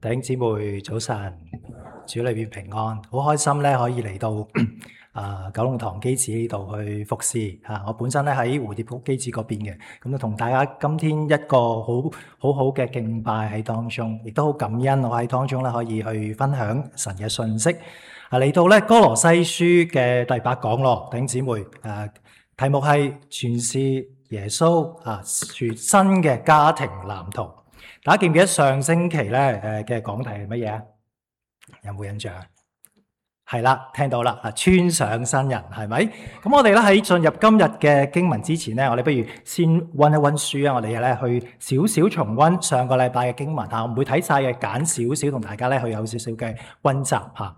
弟兄姊妹早晨，主裏邊平安，好開心咧可以嚟到九龍塘基址呢度去服侍嚇。我本身咧喺蝴蝶谷基址嗰邊嘅，咁就同大家今天一個好嘅敬拜喺當中，亦都好感恩我喺當中咧可以去分享神嘅信息。嚟到咧哥羅西書嘅第8講咯，弟兄姊妹題目係全是耶穌全新嘅家庭藍圖。大家記唔記得上星期咧嘅講題係乜嘢啊？有冇印象啊？係啦，聽到啦，穿上新人係咪？咁我哋咧喺進入今日嘅經文之前咧，我哋不如先溫一溫書啊！我哋咧去少少重溫上個禮拜嘅經文嚇，我唔會睇晒嘅，揀少少同大家咧去有少少嘅溫習嚇。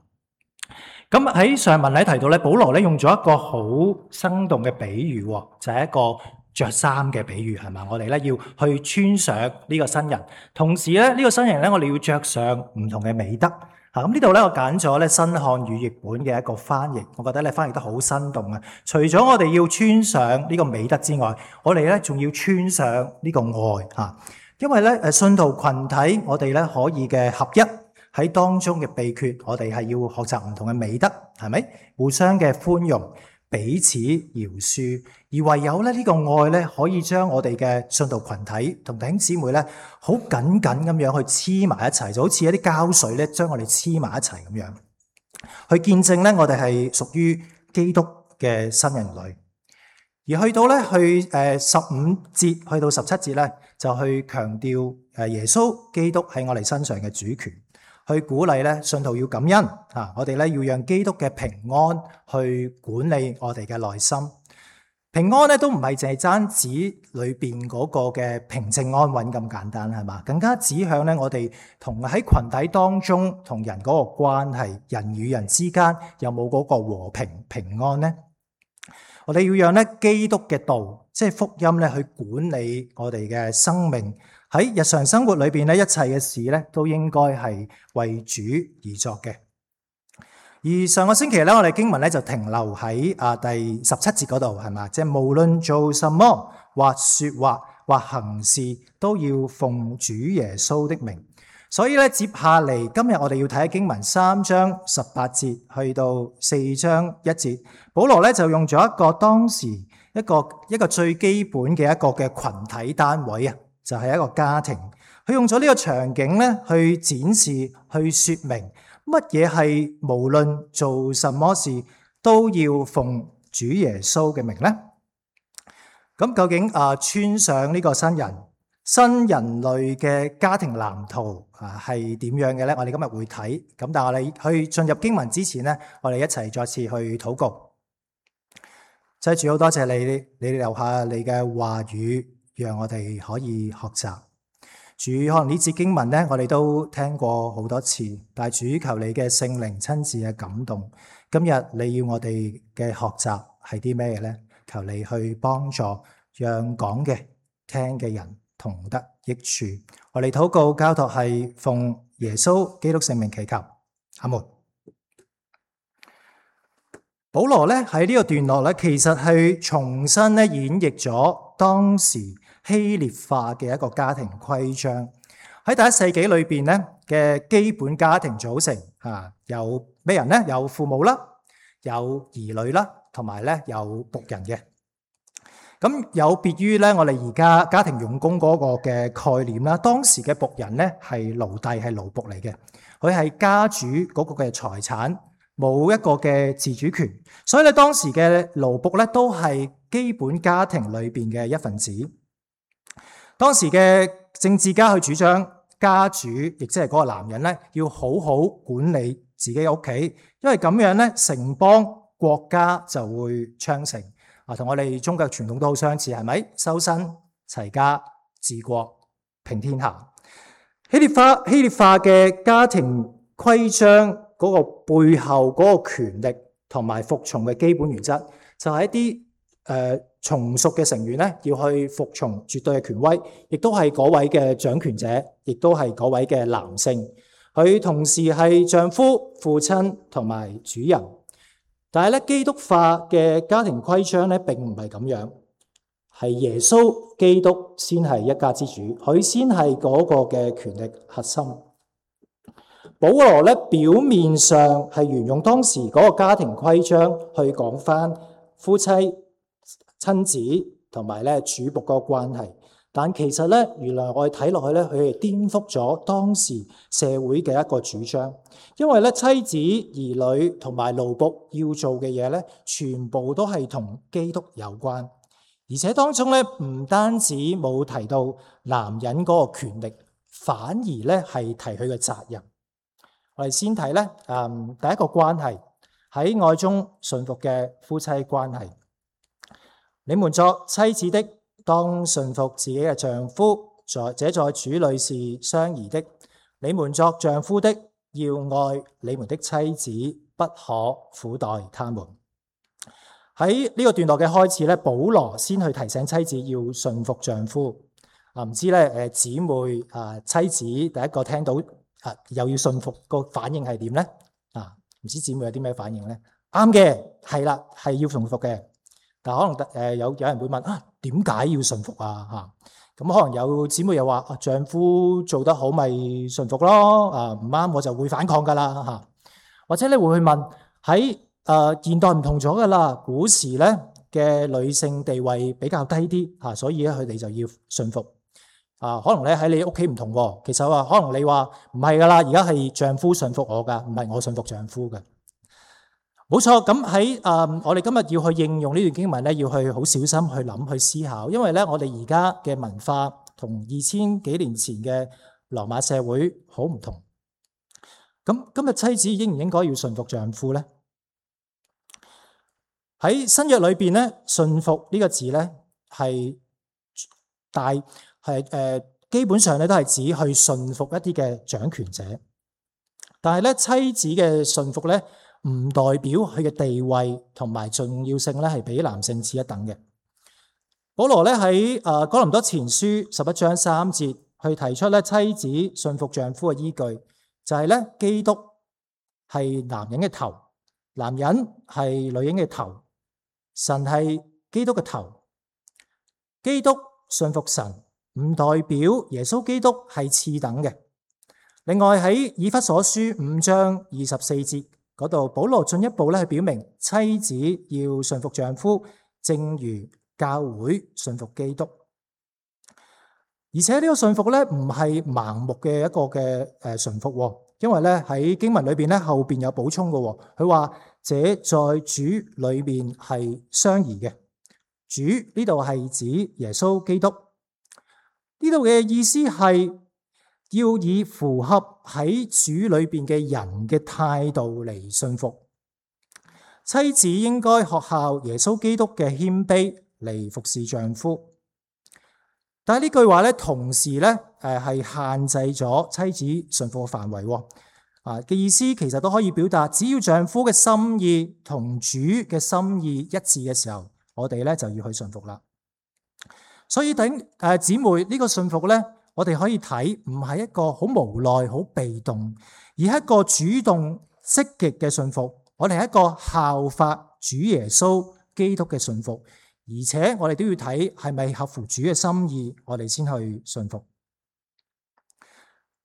咁喺上文咧提到咧，保羅咧用咗一個好生動嘅比喻，就係一個着衫嘅比喻，係嘛？我哋咧要去穿上呢個新人，同時咧呢個新人咧，我哋要着上唔同嘅美德。咁呢度咧，我揀咗咧新漢語譯本嘅一個翻譯，我覺得咧翻譯得好生動啊！除咗我哋要穿上呢個美德之外，我哋咧仲要穿上呢個愛嚇，因為咧信徒群體我哋咧可以嘅合一喺當中嘅秘訣，我哋係要學習唔同嘅美德，係咪？互相嘅寬容，彼此饒恕，而唯有咧呢個愛咧，可以將我哋嘅信徒群體同弟兄姊妹咧，好緊緊咁樣去黐埋一齊，就好似一啲膠水咧，將我哋黐埋一齊咁樣，去見證咧我哋係屬於基督嘅新人類。而去到咧15節去到17節咧，就去強調耶穌基督喺我哋身上嘅主權。去鼓勵咧信徒要感恩我哋咧要讓基督嘅平安去管理我哋嘅內心。平安咧都唔係淨係單指裏邊嗰個嘅平靜安穩咁簡單，係嘛？更加指向咧我哋同喺群體當中同人嗰個關係，人與人之間有冇嗰個和平平安呢？我哋要讓咧基督嘅道，即係福音咧去管理我哋嘅生命。喺日常生活裏邊咧，一切嘅事咧都應該係為主而作嘅。而上個星期咧，我哋經文咧就停留喺第17節嗰度，係嘛？即係無論做什麼，或說話或行事，都要奉主耶穌的名。所以咧，接下嚟今日我哋要睇經文3章18節去到4章1節，保羅咧就用咗一個當時一個最基本嘅一個嘅群體單位啊。就係一個家庭，佢用咗呢個場景咧去展示、去說明乜嘢係無論做什麼事都要奉主耶穌嘅名咧。咁究竟穿上呢個新人類嘅家庭藍圖係點樣嘅咧？我哋今日會睇。咁但係我哋去進入經文之前咧，我哋一齊再次去禱告。就係主，好多謝你留下你嘅話語，讓我哋可以學習。主，可能呢節經文咧，我哋都聽過好多次，但係主，求你嘅聖靈親自嘅感動。今日你要我哋嘅學習係啲咩咧？求你去幫助，讓講嘅、聽嘅人同得益處。我哋禱告交託係奉耶穌基督聖名祈求，阿門。保羅咧喺呢個段落咧，其實係重新咧演繹咗當時希臘化嘅一個家庭規章。喺第1世紀裏邊咧嘅基本家庭組成有咩人咧？有父母啦，有兒女啦，同埋咧有僕人嘅。咁有別於咧我哋而家家庭傭工嗰個嘅概念啦，當時嘅僕人咧係奴隸，係奴僕嚟嘅，佢係家主嗰個嘅財產，冇一個嘅自主權，所以咧當時嘅奴僕咧都係基本家庭裏邊嘅一份子。當時嘅政治家去主張家主，亦即係嗰個男人咧，要好好管理自己嘅屋企，因為咁樣咧城邦國家就會昌盛。同我哋中國傳統都好相似，係咪？修身齊家治國平天下。希臘化嘅家庭規章嗰個背後嗰個權力同埋服從嘅基本原則，就係一啲從屬嘅成員咧，要去服從絕對嘅權威，亦都係嗰位嘅掌權者，亦都係嗰位嘅男性。佢同時係丈夫、父親同埋主人。但係咧，基督化嘅家庭規章咧並唔係咁樣，係耶穌基督先係一家之主，佢先係嗰個嘅權力核心。保羅咧表面上係沿用當時嗰個家庭規章去講翻夫妻、親子同埋咧主僕嗰個關係，但其實咧原來我哋睇落去咧，佢係顛覆咗當時社會嘅一個主張，因為咧妻子、兒女同埋奴僕要做嘅嘢咧，全部都係同基督有關，而且當中咧唔單止冇提到男人嗰個權力，反而咧係提佢嘅責任。我哋先睇咧，第一個關係喺愛中順服嘅夫妻關係。你們作妻子的，當順服自己嘅丈夫，這在主裏是相宜的。你們作丈夫的，要愛你們的妻子，不可苦待他們。喺呢個段落嘅開始咧，保羅先去提醒妻子要順服丈夫。唔知咧姊妹妻子第一個聽到又要順服個反應係點咧？唔知姊妹有啲咩反應咧？啱嘅，係啦，係要順服嘅。但可能有人會問點解要順服啊？咁可能有姊妹又話丈夫做得好咪順服咯，唔啱我就會反抗噶啦。或者你會去問喺現代唔同咗噶啦，古時咧嘅女性地位比較低啲所以咧佢哋就要順服。可能咧喺你屋企唔同喎，其實可能你話唔係噶啦，而家係丈夫順服我噶，唔係我順服丈夫嘅。冇錯，咁喺我哋今日要去應用呢段經文咧，要去好小心去諗去思考，因為咧我哋而家嘅文化同2000幾年前嘅羅馬社會好唔同。咁今日妻子應唔應該要順服丈夫咧？喺新約裏邊咧，順服呢個字咧係基本上咧都係指去順服一啲嘅掌權者，但係咧妻子嘅順服咧唔代表佢嘅地位同埋重要性咧係比男性次一等嘅。保羅咧喺哥林多前書11章3節去提出咧妻子順服丈夫嘅依據，就係咧基督係男人嘅頭，男人係女人嘅頭，神係基督嘅頭。基督順服神唔代表耶穌基督係次等嘅。另外喺以弗所書5章24節嗰度，保羅進一步咧去表明妻子要順服丈夫，正如教會順服基督。而且呢個順服咧唔係盲目嘅一個嘅順服，因為咧喺經文裏邊咧後邊有補充嘅，佢話這在主裏邊係相宜嘅。主呢度係指耶穌基督，呢度嘅意思係要以符合喺主裏邊嘅人嘅態度嚟順服。妻子應該學效耶穌基督嘅謙卑嚟服侍丈夫。但係呢句話咧，同時咧係限制咗妻子順服嘅範圍。嘅意思其實都可以表達，只要丈夫嘅心意同主嘅心意一致嘅時候，我哋咧就要去順服啦。所以姊妹呢個順服咧，我哋可以睇唔係一個好無奈、好被動，而係一個主動積極嘅順服。我哋係一個效法主耶穌基督嘅順服，而且我哋都要睇係咪合乎主嘅心意，我哋先去順服。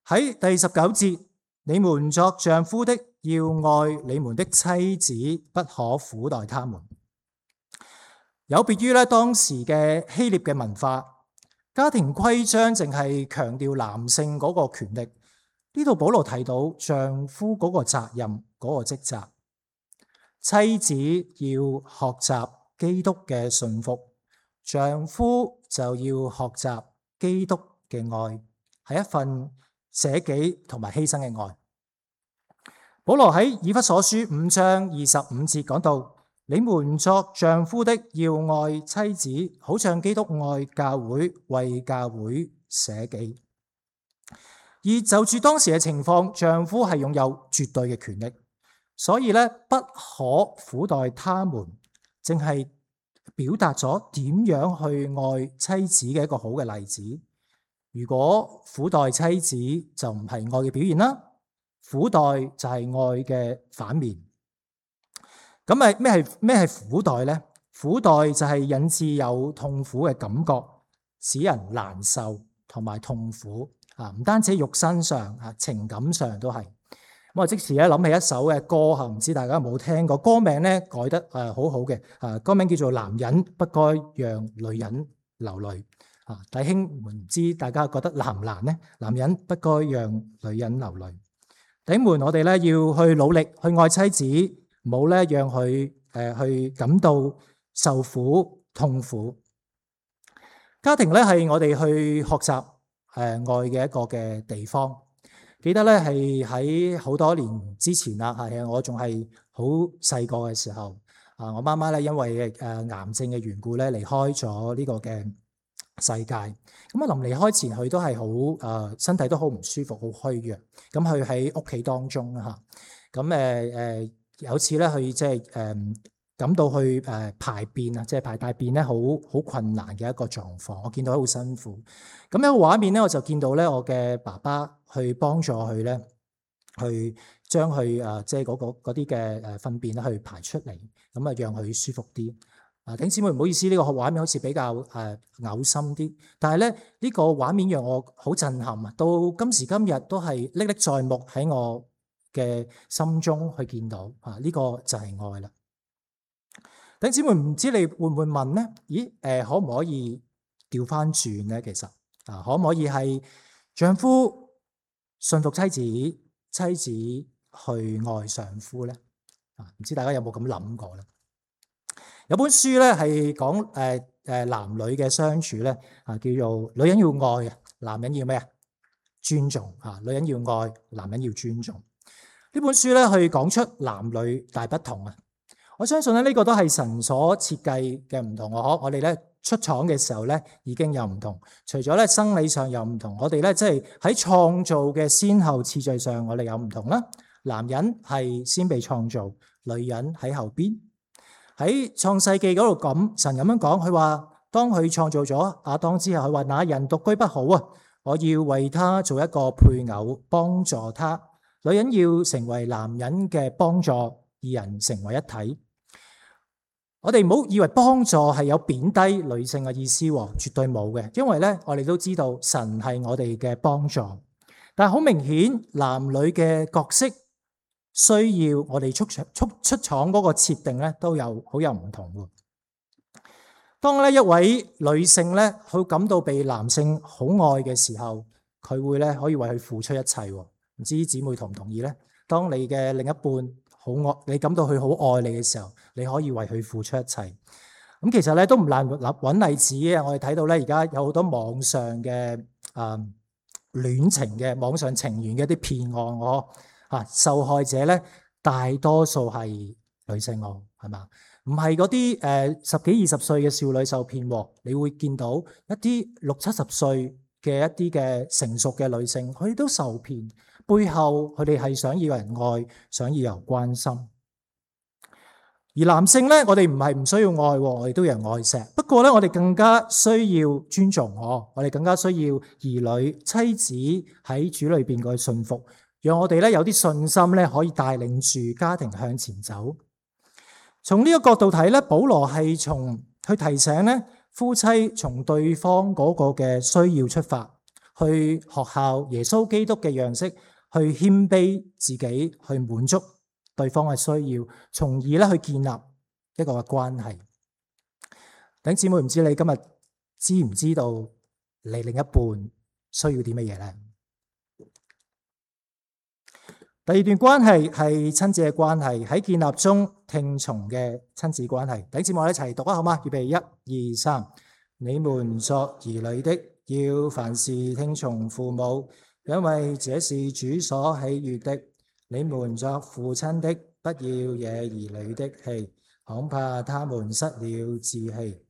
喺第19節，你們作丈夫的，要愛你們的妻子，不可苦待他們。有別於咧當時嘅希臘嘅文化，家庭規章淨係強調男性嗰個權力。呢度保羅提到丈夫嗰個責任、嗰個職責，妻子要學習基督嘅順服，丈夫就要學習基督嘅愛，係一份捨己同埋犧牲嘅愛。保羅喺以弗所書5章25節講到，你們作丈夫的，要愛妻子，好像基督愛教會，為教會捨己。而就住當時嘅情況，丈夫係擁有絕對嘅權力，所以咧不可苦待他們，正係表達咗點樣去愛妻子嘅一個好嘅例子。如果苦待妻子就唔係愛嘅表現啦，苦待就係愛嘅反面。咁咩係苦待呢？苦待就係引致有痛苦嘅感覺，使人難受同埋痛苦。唔單止肉身上，情感上都係。我即時咧諗起一首嘅歌嚇，唔知大家有冇聽過？歌名咧改得好好嘅，歌名叫做《男人不該讓女人流淚》。弟兄們，唔知大家覺得難唔難呢？男人不該讓女人流淚。弟兄們，我哋咧要去努力去愛妻子，唔好咧讓佢去感到受苦痛苦。家庭咧係我哋去學習愛嘅一個嘅地方。記得咧係喺好多年之前啦，係我仲係好細個嘅時候，我媽媽咧因為癌症嘅緣故咧離開咗呢個嘅世界。咁臨離開前佢都係好身體都好唔舒服，好虛弱。咁佢喺屋企當中啦嚇，咁有次咧佢即係感到去排便啊，即係排大便咧，好困難嘅一個狀況。我見到佢好辛苦。咁一個畫面咧，我就見到咧，我嘅爸爸去幫助佢咧，去將佢即係嗰啲嘅糞便咧去排出嚟，咁啊讓佢舒服啲。弟兄姊妹唔好意思，呢個畫面好似比較嘔心啲，但係咧呢個畫面讓我好震撼啊！到今時今日都係歷歷在目喺我嘅心中去見到呢個就係愛啦。弟兄姊妹，唔知你會唔會問咧？咦，可唔可以調翻轉咧？其實可唔可以係丈夫順服妻子，妻子去愛丈夫咧？唔知大家有冇咁諗過咧？有本書咧係講男女嘅相處咧，叫做女人要愛啊，男人要咩啊？尊重啊！女人要愛，男人要尊重。呢本書咧去講出男女大不同啊！我相信咧呢個都係神所設計嘅唔同。我哋咧出廠嘅時候咧已經有唔同，除咗咧生理上有唔同，我哋咧即係喺創造嘅先後次序上，我哋有唔同啦。男人係先被創造，女人喺後邊。喺創世記嗰度神咁樣講，佢話當佢創造咗亞當之後，佢話那人獨居不好啊，我要為他做一個配偶，幫助他。女人要成為男人嘅幫助，二人成為一體。我哋唔好以為幫助係有貶低女性嘅意思，絕對冇嘅。因為咧，我哋都知道神係我哋嘅幫助，但係好明顯，男女嘅角色需要我哋出廠嗰個設定咧，都好有唔同喎。當咧一位女性咧，佢感到被男性好愛嘅時候，佢會咧可以為佢付出一切。唔知姊妹同唔同意咧？當你嘅另一半好愛你，感到佢好愛你嘅時候，你可以為佢付出一切。咁其實咧都唔難揾例子嘅。我哋睇到咧而家有好多網上嘅戀情嘅網上情緣嘅一啲騙案，受害者咧大多數係女性係嘛？唔係嗰啲10幾20歲嘅少女受騙，你會見到一啲60、70歲嘅一啲嘅成熟嘅女性，佢哋都受騙，背後佢哋係想要人愛，想要人關心。而男性咧，我哋唔係唔需要愛，我哋都有人愛錫。不過咧，我哋更加需要尊重我哋更加需要兒女妻子喺主裏邊嘅信服，讓我哋咧有啲信心咧，可以帶領住家庭向前走。從呢個角度睇咧，保羅係去提醒咧夫妻從對方嗰個嘅需要出發，去學效耶穌基督嘅樣式，去謙卑自己，去滿足對方嘅需要，從而咧去建立一個嘅關係。弟兄姊妹，唔知你今日知唔知道你另一半需要啲乜嘢咧？第二段關係係親子嘅關係，喺建立中聽從嘅親子關係。弟兄姊妹，我哋一齊讀啊，好嗎？預備1、2、3。你們作兒女的，要凡事聽從父母，因為這是主所喜悅的。你們作父親的，不要惹兒女的氣，恐怕他們失了志氣。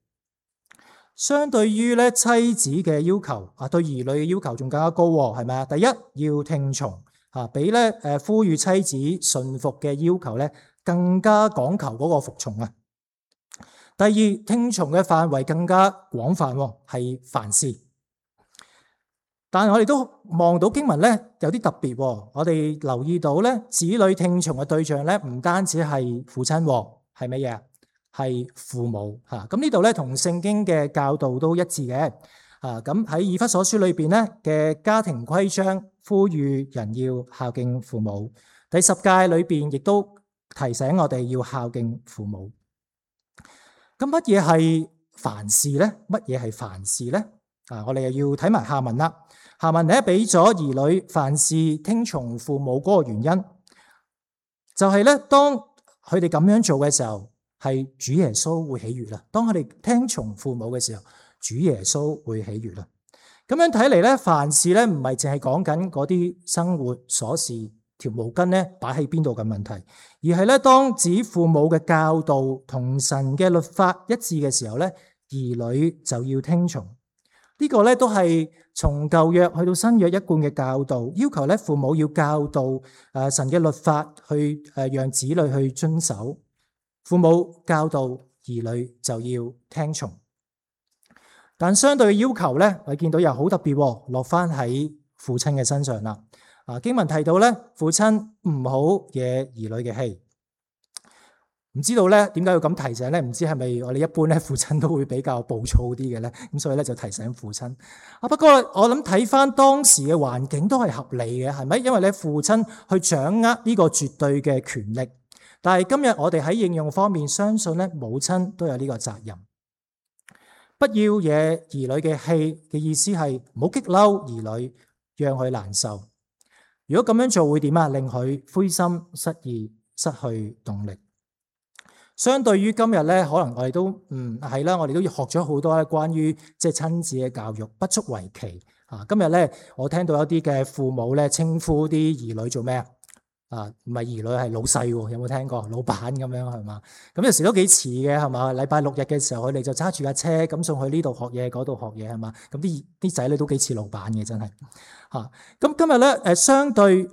相對於咧妻子嘅要求對兒女嘅要求仲更加高，係咪啊？第一，要聽從比咧呼籲妻子順服嘅要求咧更加講求嗰個服從啊。第二，聽從嘅範圍更加廣泛，係凡事。但係我哋都望到經文咧有啲特別，我哋留意到咧子女聽從嘅對象咧唔單止係父親，係乜嘢？係父母嚇。咁呢度咧同聖經嘅教導都一致嘅。咁喺以弗所書裏邊咧嘅家庭規章，呼籲人要孝敬父母。第10誡裏邊亦都提醒我哋要孝敬父母。咁乜嘢係凡事咧？乜嘢係凡事咧？我哋又要睇埋下文啦。下文咧俾咗兒女凡事聽從父母嗰個原因，就係咧當佢哋咁樣做嘅時候，係主耶穌會喜悅啦。當佢哋聽從父母嘅時候，主耶穌會喜悅啦。咁樣睇嚟咧，凡事咧唔係淨係講緊嗰啲生活瑣事，條毛巾咧擺喺邊度嘅問題，而係咧當指父母嘅教導同神嘅律法一致嘅時候咧，兒女就要聽從。呢個咧都係從舊約去到新約一貫嘅教導，要求咧父母要教導神嘅律法去讓子女去遵守。父母教導兒女就要聽從。但相對嘅要求咧，我見到又好特別，落翻喺父親嘅身上啦。經文提到咧，父親唔好惹兒女嘅氣。唔知道咧點解要咁提醒咧？唔知係咪我哋一般咧父親都會比較暴躁啲嘅咧？咁所以咧就提醒父親。不過我諗睇翻當時嘅環境都係合理嘅，係咪？因為咧父親去掌握呢個絕對嘅權力。但係今日我哋喺應用方面，相信咧母親都有呢個責任。不要惹兒女嘅氣嘅意思係唔好激嬲兒女，讓佢難受。如果咁樣做會點啊？令佢灰心失意，失去動力。相對於今日咧，可能我哋都係啦，我哋都學咗好多咧關於即係親子嘅教育，不足為奇。今日咧，我聽到一啲嘅父母咧稱呼啲兒女做咩啊？唔係兒女係老細喎，有冇聽過？老闆咁樣係嘛？咁有時都幾似嘅係嘛？禮拜六日嘅時候，佢哋就揸住架車咁送去呢度學嘢，嗰度學嘢係嘛？咁啲仔女都幾似老闆嘅，真係嚇。咁今日咧相對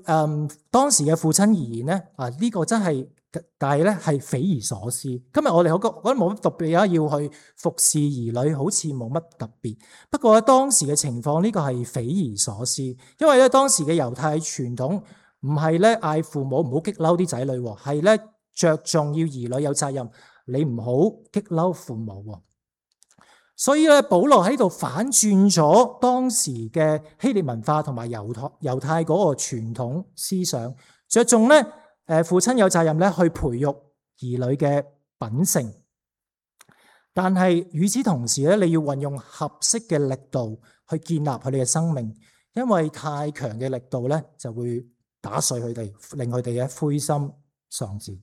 當時嘅父親而言咧呢個真係。但係咧係匪夷所思。今日我哋覺得冇乜特別啊，要去服侍兒女，好似冇乜特別。不過咧當時嘅情況呢個係匪夷所思，因為咧當時嘅猶太傳統唔係咧嗌父母唔好激嬲啲仔女，係咧着重要兒女有責任，你唔好激嬲父母。所以咧保羅喺度反轉咗當時嘅希臘文化同埋猶太嗰個傳統思想，着重咧。父親有責任咧去培育兒女嘅品性，但係與此同時咧，你要運用合適嘅力度去建立佢哋嘅生命，因為太強嘅力度咧就會打碎佢哋，令佢哋嘅灰心喪志。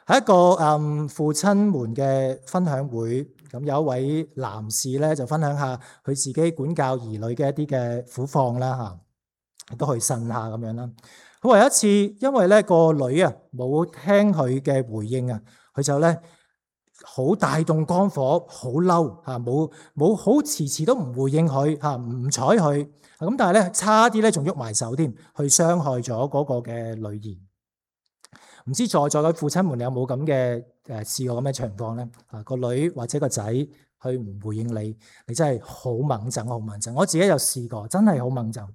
喺一個父親們嘅分享會，咁有一位男士咧就分享下佢自己管教兒女嘅一啲嘅苦況啦嚇，都去呻下咁樣啦。佢話有一次，因為咧個女冇聽佢嘅回應佢就咧好大動肝火，好嬲冇好遲都唔回應佢唔睬佢咁，但係咧差啲咧仲喐埋手添，去傷害咗嗰個嘅女兒。唔知在座嘅父親們有冇咁嘅試過咁嘅情況咧？個女或者個仔佢唔回應你，你真係好猛憎，好猛憎。我自己有試過，真係好猛憎。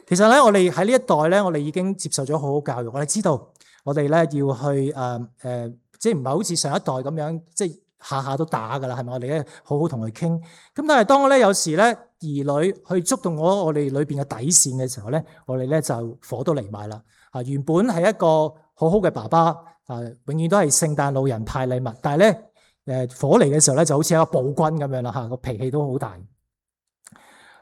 其實咧，我哋喺呢一代咧，我哋已經接受咗好好教育。我哋知道我哋咧要去即係唔係好似上一代咁樣，即係下下都打噶啦，係咪？我哋咧好好同佢傾。咁但係當咧有時咧兒女去觸動我哋裏邊嘅底線嘅時候咧，我哋咧就火都嚟埋啦。原本係一個好好嘅爸爸永遠都係聖誕老人派禮物，但係咧火嚟嘅時候咧就好似一個暴君咁樣啦個脾氣都好大。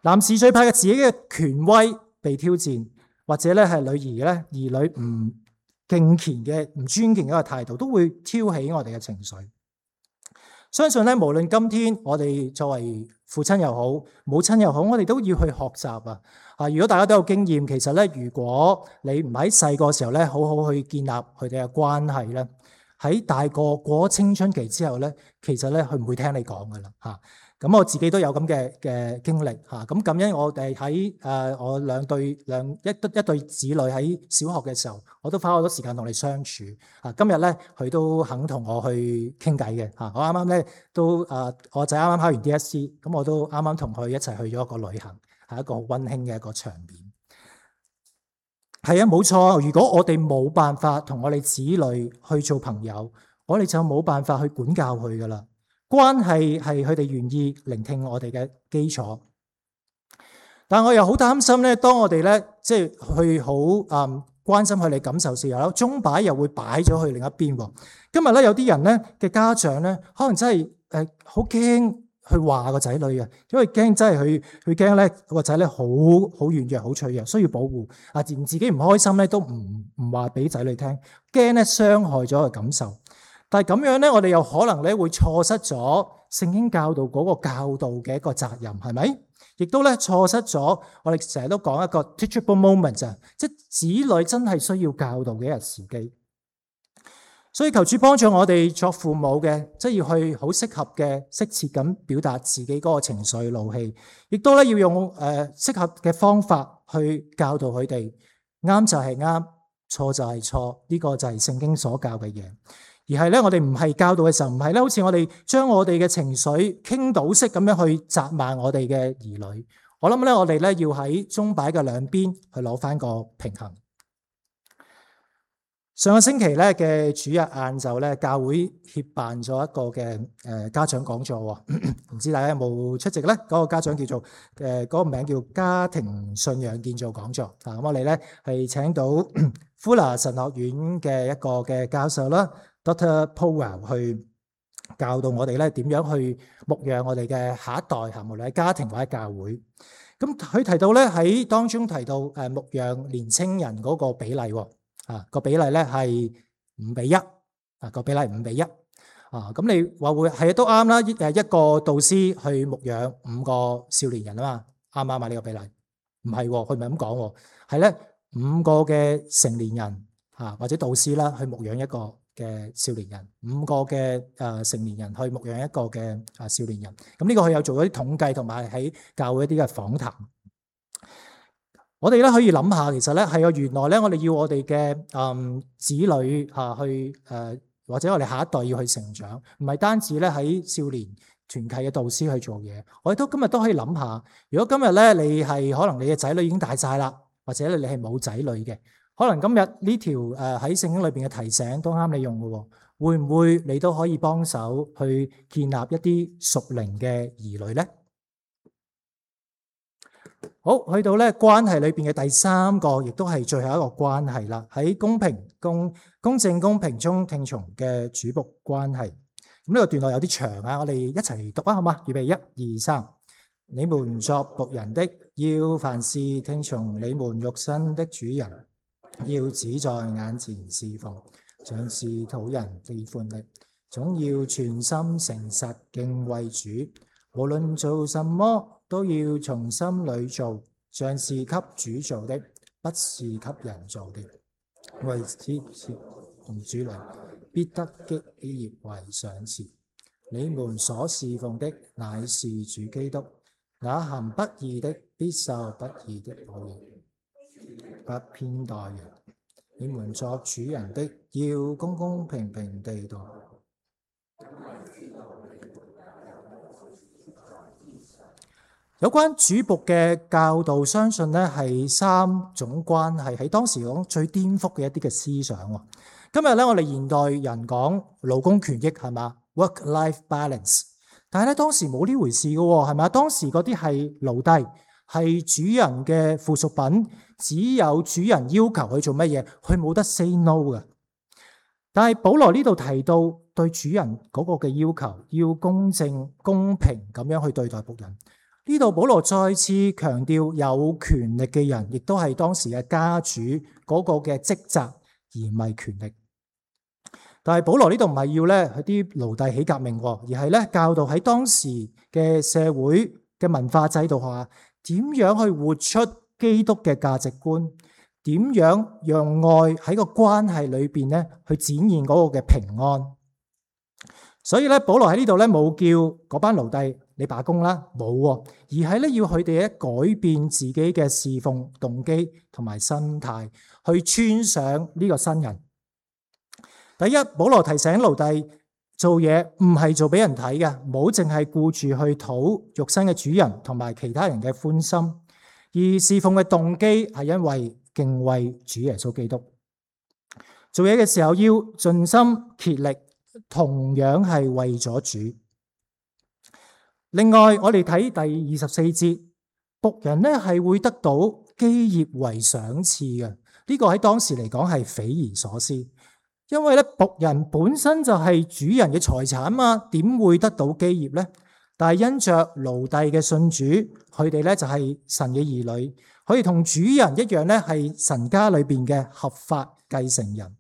男士最怕嘅自己嘅權威被挑戰，或者咧係兒女唔敬虔嘅、唔尊敬嘅一個態度，都會挑起我哋嘅情緒。相信咧，無論今天我哋作為父親又好、母親又好，我哋都要去學習如果大家都有經驗，其實咧，如果你唔喺細個時候咧，好好去建立佢哋嘅關係咧，喺大個過咗青春期之後咧，其實咧佢唔會聽你講噶啦咁我自己都有咁嘅經歷咁感恩我哋喺我一對子女喺小學嘅時候，我都花好多時間同你相處今日咧佢都肯同我去傾偈嘅我啱啱咧都我仔啱啱考完 DSE， 咁我都啱啱同佢一齊去咗一個旅行，係一個好溫馨嘅一個場面。係冇錯，如果我哋冇辦法同我哋子女去做朋友，我哋就冇辦法去管教佢噶啦。關係係佢哋願意聆聽我哋嘅基礎。但我又好擔心咧，當我哋咧即係去好關心佢哋感受時候，鐘擺又會擺咗去另一邊喎。今日咧有啲人咧嘅家長咧，可能真係好驚去話個仔女嘅，因為驚真係佢驚咧個仔咧好軟弱、好脆弱，需要保護啊，連自己唔開心咧都唔話俾仔女聽，驚咧傷害咗佢感受。但係咁樣咧，我哋又可能咧會錯失咗聖經教導嗰個教導嘅一個責任，係咪？亦都咧錯失咗我哋成日都講一個 teachable moment 啊，即係子女真係需要教導嘅一日時機。所以求主幫助我哋作父母嘅，即係要去好適合嘅、適切咁表達自己嗰個情緒怒氣，亦都咧要用適合嘅方法去教導佢哋。啱就係啱，錯就係錯，呢個就係聖經所教嘅嘢。而係咧，我哋唔係教導嘅時候，唔係咧，好似我哋將我哋嘅情緒傾倒式咁樣去責罵我哋嘅兒女。我諗咧，我哋咧要喺鐘擺嘅兩邊去攞翻個平衡。上個星期咧嘅主日晏晝咧，教會協辦咗一個嘅家長講座喎，唔知大家有冇出席咧？嗰個家長叫做嗰個名叫家庭信仰建造講座。咁我哋咧係請到Fuller 神學院嘅一個嘅教授啦。Dr. Powell 去教導我哋咧點樣去牧養我哋嘅下一代，無論喺家庭或者教會。咁佢提到咧喺當中提到牧養年青人嗰個比例喎，個比例咧係5:1，個比例5:1。咁你話會係都啱啦，一個導師去牧養5個少年人啊嘛，啱唔啱啊？呢個比例唔係喎，佢唔係咁講喎，係咧5個嘅成年人或者導師啦去牧養一個嘅少年人，5個嘅成年人去牧養一個嘅少年人。咁呢個佢有做咗啲統計，同埋喺教會一啲嘅訪談。我哋咧可以諗下，其實咧係原來咧我哋要我哋嘅子女去或者我哋下一代要去成長，唔係單止咧喺少年團契嘅導師去做嘢。我哋今日都可以諗下，如果今日咧你係可能你嘅仔女已經大晒啦，或者你係冇仔女嘅。可能今日呢條喺聖經裏邊嘅提醒都啱你用嘅喎，會唔會你都可以幫手去建立一啲屬靈嘅兒女呢？好，去到咧關係裏邊嘅第3個，亦都係最後一個關係啦。喺公正公平中聽從嘅主僕關係。咁呢個段落有啲長啊，我哋一齊讀啊，好嘛？預備1、2、3。你們作僕人的，要凡事聽從你們肉身的主人。要只在眼前侍奉，像是討人喜歡的，總要全心誠實敬畏主。無論做什麼，都要從心裏做，像是給主做的，不是給人做的。為此同主來，必得基業為賞賜。你們所侍奉的乃是主基督，那行不義的必受不義的報應。不偏待人，你們作主人的要公公平平地度。有關主僕嘅教導，相信咧係3種關係，喺當時講最顛覆嘅一啲嘅思想。今日咧我哋現代人講勞工權益係嘛 ，work-life balance， 但係咧當時冇呢回事嘅係咪？當時嗰啲係奴隸，係主人嘅附屬品，只有主人要求佢做乜嘢，佢冇得 say no 嘅。但係保羅呢度提到對主人嗰個嘅要求，要公正公平咁樣去對待僕人。呢度保羅再次強調有權力嘅人，亦都係當時嘅家主嗰個嘅職責，而唔係權力。但係保羅呢度唔係要咧啲奴隸起革命，而係咧教導喺當時嘅社會嘅文化制度下，點樣去活出基督嘅價值觀，點樣讓愛喺個關係裏邊咧去展現嗰個嘅平安。所以咧，保羅喺呢度咧冇叫嗰班奴隸你罷工啦，冇，而係咧要佢哋咧改變自己嘅侍奉動機同埋心態，去穿上呢個新人。第一，保羅提醒奴隸做嘢唔係做俾人睇嘅，唔好淨係顧住去討肉身嘅主人同埋其他人嘅歡心，而侍奉嘅動機係因為敬畏主耶穌基督。做嘢嘅時候要盡心竭力，同樣係為咗主。另外，我哋睇第24節，僕人咧係會得到基業為賞賜嘅。呢個喺當時嚟講係匪夷所思，因為咧僕人本身就係主人嘅財產嘛，點會得到基業呢？但係因着奴隸嘅信主，佢哋咧就係神嘅兒女，佢哋同主人一樣咧係神家裏邊嘅合法繼承人。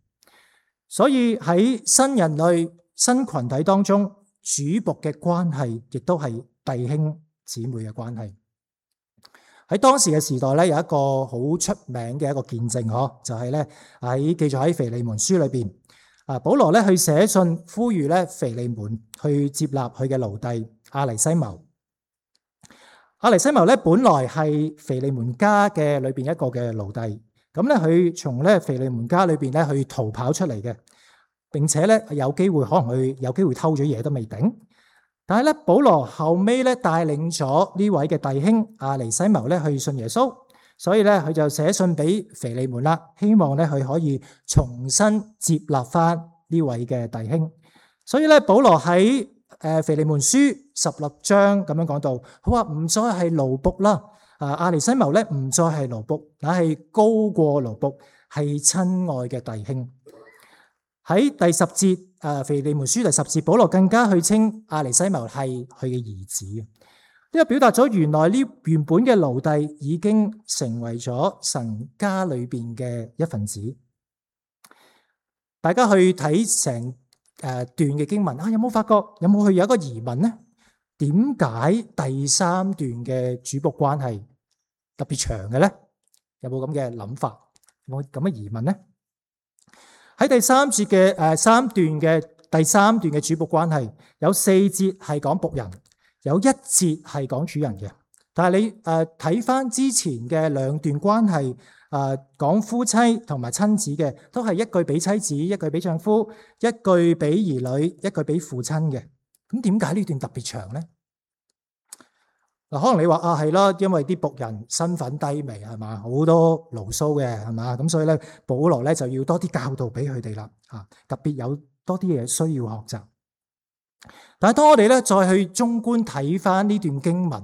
所以喺新人類新群體當中，主僕嘅關係亦都係弟兄姊妹嘅關係。喺當時嘅時代咧，有一個好出名嘅一個見證，就係咧記載喺腓利門書裏邊。保羅咧去寫信呼籲咧腓利門去接納佢嘅奴隸阿尼西謀。阿尼西謀咧本來係腓利門家嘅裏邊一個嘅奴隸，咁咧佢從咧腓利門家裏邊咧去逃跑出嚟嘅，並且咧有機會可能佢有機會偷咗嘢都未定。但係咧，保羅後尾咧帶領咗呢位嘅弟兄阿尼西謀咧去信耶穌，所以咧佢就寫信俾腓利門啦，希望咧佢可以重新接納翻呢位嘅弟兄。所以咧，保羅喺腓利門書16章咁樣講到，佢話唔再係奴僕啦，阿尼西謀咧唔再係奴僕，乃係高過奴僕，係親愛嘅弟兄。喺第10節，腓利門書第10節，保羅更加去稱阿尼西謀係佢嘅兒子。呢個表達咗原來呢原本嘅奴隸已經成為咗神家裏邊嘅一份子。大家去睇成段嘅經文有冇發覺有冇有一個疑問呢？點解第3段嘅主僕關係特別長嘅咧？有冇咁嘅諗法？有冇咁嘅疑問呢？喺第3節嘅3段嘅第3段嘅主僕關係，有4節係講僕人，有1節係講主人嘅。但係你睇翻之前嘅2段關係，講夫妻同埋親子嘅，都係一句俾妻子，一句俾丈夫，一句俾兒女，一句俾父親嘅。咁點解呢段特別長咧？嗱，可能你話係啦，因為啲僕人身份低微係嘛，好多牢騷嘅係嘛，咁所以咧保羅咧就要多啲教導俾佢哋啦，特別有多啲嘢需要學習。但係當我哋咧再去綜觀睇翻呢段經文，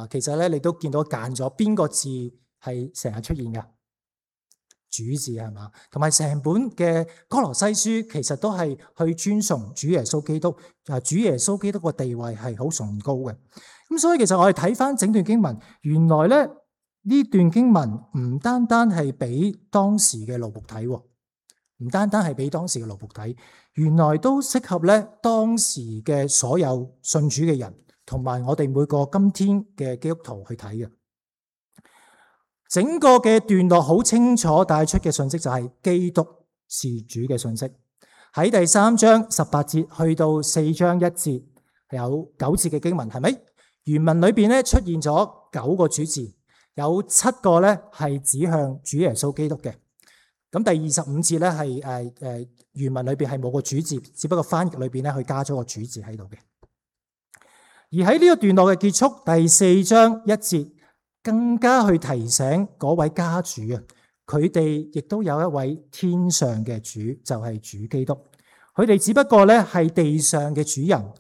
其實咧你都見到揀咗邊個字係成日出現嘅？主字係嘛，同埋成本嘅哥羅西書其實都係去尊崇主耶穌基督，主耶穌基督個地位係好崇高嘅。咁所以其實我哋睇翻整段經文，原來咧呢段經文唔單單係俾當時嘅奴僕睇，唔單單係俾當時嘅奴僕睇，原來都適合咧當時嘅所有信主嘅人，同埋我哋每個今天嘅基督徒去睇嘅。整個嘅段落好清楚帶出嘅信息就係基督是主嘅信息。喺第3章18節去到4章1節有9節嘅經文，係咪？原文裏邊咧出現咗9個主字，有7個咧係指向主耶穌基督嘅。咁第25節咧係原文裏邊係冇個主字，只不過翻譯裏邊咧佢加咗個主字喺度嘅。而喺呢個段落嘅結束，第4章1節更加去提醒嗰位家主佢哋亦都有一位天上嘅主，就係主基督。佢哋只不過咧係地上嘅主人，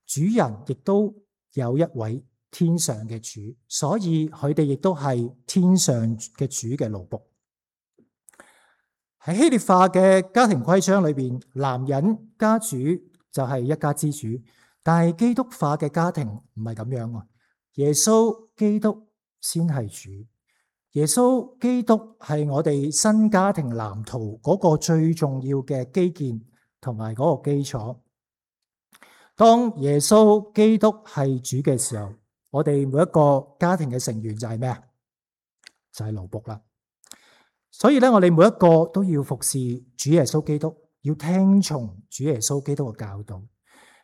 主人亦都有一位天上嘅主，所以佢哋亦都係天上嘅主嘅奴僕。喺希臘化嘅家庭規章裏邊，男人家主就係一家之主，但係基督化嘅家庭唔係咁樣啊。耶穌基督先係主，耶穌基督係我哋新家庭藍圖嗰個最重要嘅基建同埋嗰個基礎。當耶穌基督係主嘅時候，我哋每一個家庭嘅成員就係咩啊？就係奴僕啦。所以咧，我哋每一個都要服侍主耶穌基督，要聽從主耶穌基督嘅教導。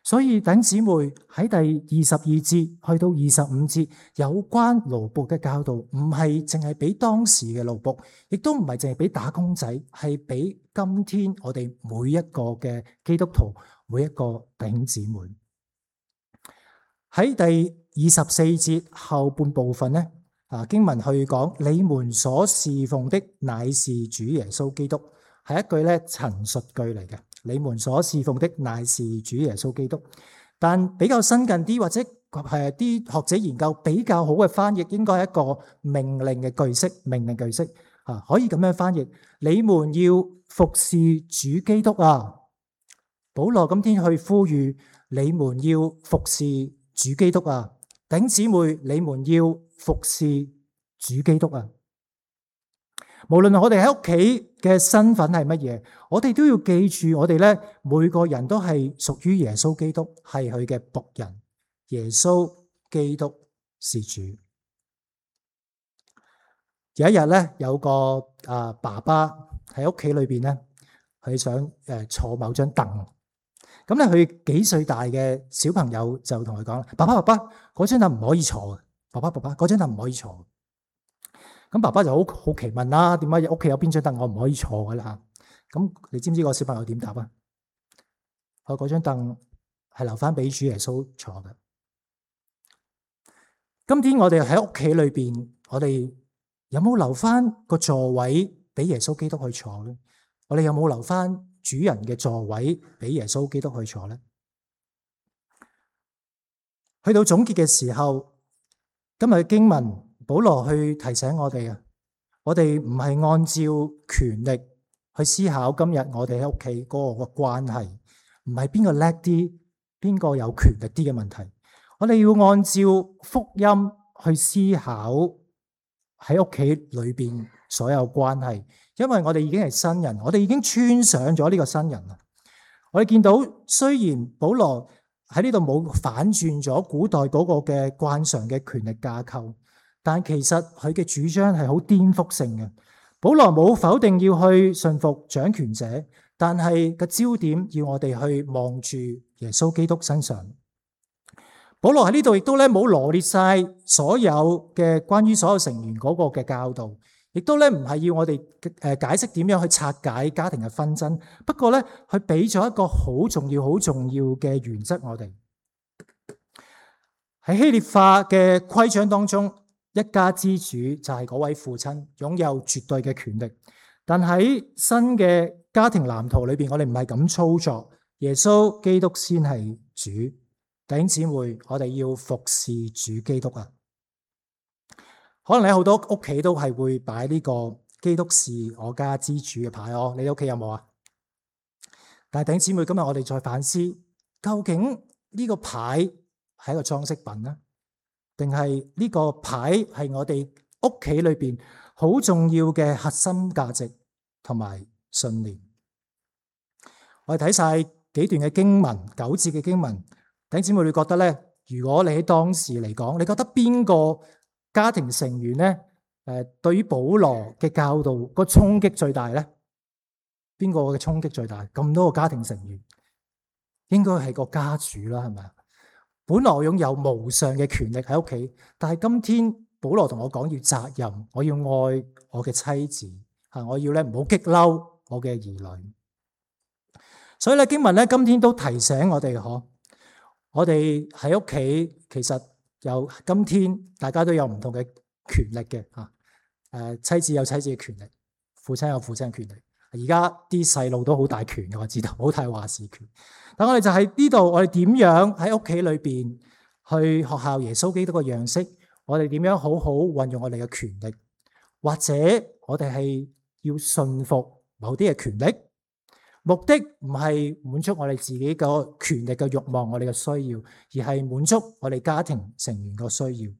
所以弟兄姊妹喺第22節去到25節有關奴僕嘅教導，唔係淨係俾當時嘅奴僕，亦都唔係淨係俾打工仔，係俾今天我哋每一個嘅基督徒，每一個弟兄姊妹。喺第24節後半部分咧，經文去講你們所侍奉的乃是主耶穌基督，係一句咧陳述句嚟嘅。你們所侍奉的乃是主耶穌基督，但比較新近啲或者嗰啲學者研究比較好嘅翻譯，應該係一個命令嘅句式，命令句式可以咁樣翻譯：你們要服侍主基督啊！保羅今天去呼籲你們要服侍主基督啊！弟兄姊妹，你們要服侍主基督啊！無論我哋喺屋企嘅身份係乜嘢，我哋都要記住，我哋咧每個人都係屬於耶穌基督，係佢嘅僕人。耶穌基督是主。有一日咧，有個爸爸喺屋企裏邊咧，佢想坐某張凳。咁咧，佢幾歲大嘅小朋友就同佢講：爸爸，嗰張凳唔可以坐嘅。爸爸，嗰張凳唔可以坐。咁爸爸就好奇問啦，點解屋企有邊張凳我唔可以坐嘅啦？咁你知唔知個小朋友點答啊？佢嗰張凳係留翻俾主耶穌坐嘅。今天我哋喺屋企裏邊，我哋有冇留翻個座位俾耶穌基督去坐咧？我哋有冇留翻主人嘅座位俾耶穌基督去坐咧？去到總結嘅時候，今日嘅經文，保羅去提醒我哋啊，我哋唔係按照權力去思考今日我哋喺屋企嗰個關係，唔係邊個叻啲，邊個有權力啲嘅問題。我哋要按照福音去思考喺屋企裏邊所有關係，因為我哋已經係新人，我哋已經穿上咗呢個新人啦。我哋見到雖然保羅喺呢度冇反轉咗古代嗰個嘅慣常嘅權力架構，但其實佢嘅主張係好顛覆性嘅。保羅冇否定要去順服掌權者，但係個焦點要我哋去望住耶穌基督身上。保羅喺呢度亦都咧冇羅列晒所有嘅關於所有成員嗰個嘅教導，亦都咧唔係要我哋解釋點樣去拆解家庭嘅紛爭。不過咧，佢俾咗一個好重要嘅原則我哋。喺希臘化嘅規章當中，一家之主就係嗰位父親，擁有絕對嘅權力。但喺新嘅家庭藍圖裏邊，我哋唔係咁操作。耶穌基督先係主。弟兄姊妹，我哋要服侍主基督啊！可能你好多屋企都係會擺呢個基督是我家之主嘅牌哦。你屋企有冇啊？但係弟兄姊妹，今日我哋再反思，究竟呢個牌係一個裝飾品呢？定係呢個牌係我哋屋企裏邊好重要嘅核心價值同埋信念？我哋睇晒幾段嘅經文，9節嘅經文。弟兄姊妹，你覺得咧？如果你喺當時嚟講，你覺得邊個家庭成員咧？對於保羅嘅教導個衝擊最大咧？邊個嘅衝擊最大？咁多個家庭成員，應該係個家主啦，係咪啊？本來我擁有無上嘅權力喺屋企，但係今天保羅同我講要責任，我要愛我嘅妻子，我要咧唔好激嬲我嘅兒女。所以咧經文咧今天都提醒我哋我哋喺屋企其實有今天大家都有唔同嘅權力嘅妻子有妻子嘅權力，父親有父親嘅權力。而家啲細路都好大權嘅，我知道好大話事權。但我哋就喺呢度，我哋點樣喺屋企裏邊去學效耶穌基督嘅樣式？我哋點樣好好運用我哋嘅權力？或者我哋係要順服某啲嘅權力？目的唔係滿足我哋自己個權力嘅慾望，我哋嘅需要，而係滿足我哋家庭成員個需要，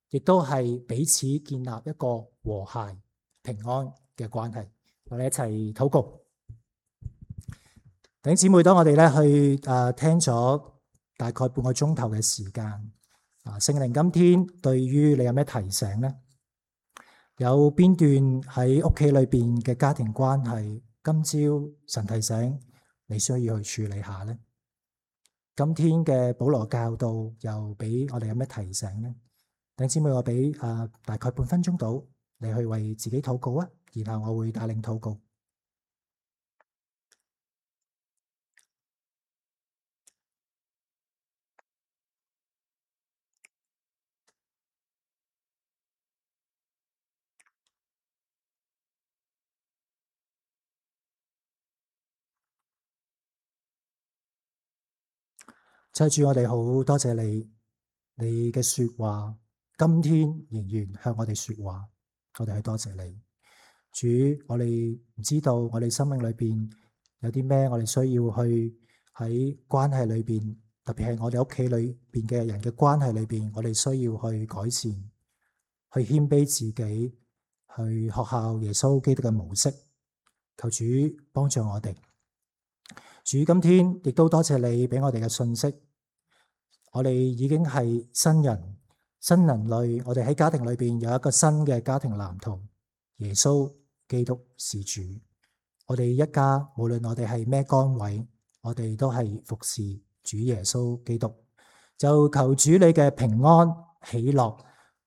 亦都係彼此建立一個和諧平安嘅關係。我哋一齊禱告。弟兄姊妹，當我哋咧去聽咗大概半個鐘頭嘅時間，聖靈今天對於你有咩提醒呢？有邊段喺屋企裏邊嘅家庭關係？今朝神提醒你需要去處理下呢？今天嘅保羅教導又俾我哋有咩提醒呢？弟兄姊妹，我俾大概半分鐘到，你去為自己禱告啊，然後我會帶領禱告。謝主，我哋好多謝你，你嘅說話今天仍然向我哋說話，我哋係多謝你。主，我哋唔知道我哋生命裏邊有啲咩我哋需要去喺關係裏邊，特別係我哋屋企裏邊嘅人嘅關係裏邊，我哋需要去改善，去謙卑自己，去學效耶穌基督嘅模式。求主幫助我哋。主，今天亦都多謝你俾我哋嘅信息。我哋已經係新人、新人類，我哋喺家庭裏邊有一個新嘅家庭藍圖。耶穌基督是主。我哋一家無論我哋係咩崗位，我哋都係服侍主耶穌基督。就求主你嘅平安喜樂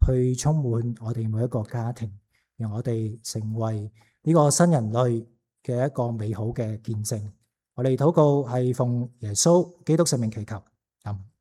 去充滿我哋每一個家庭，讓我哋成為呢個新人類嘅一個美好嘅見證。我哋禱告係奉耶穌基督聖名祈求，阿們。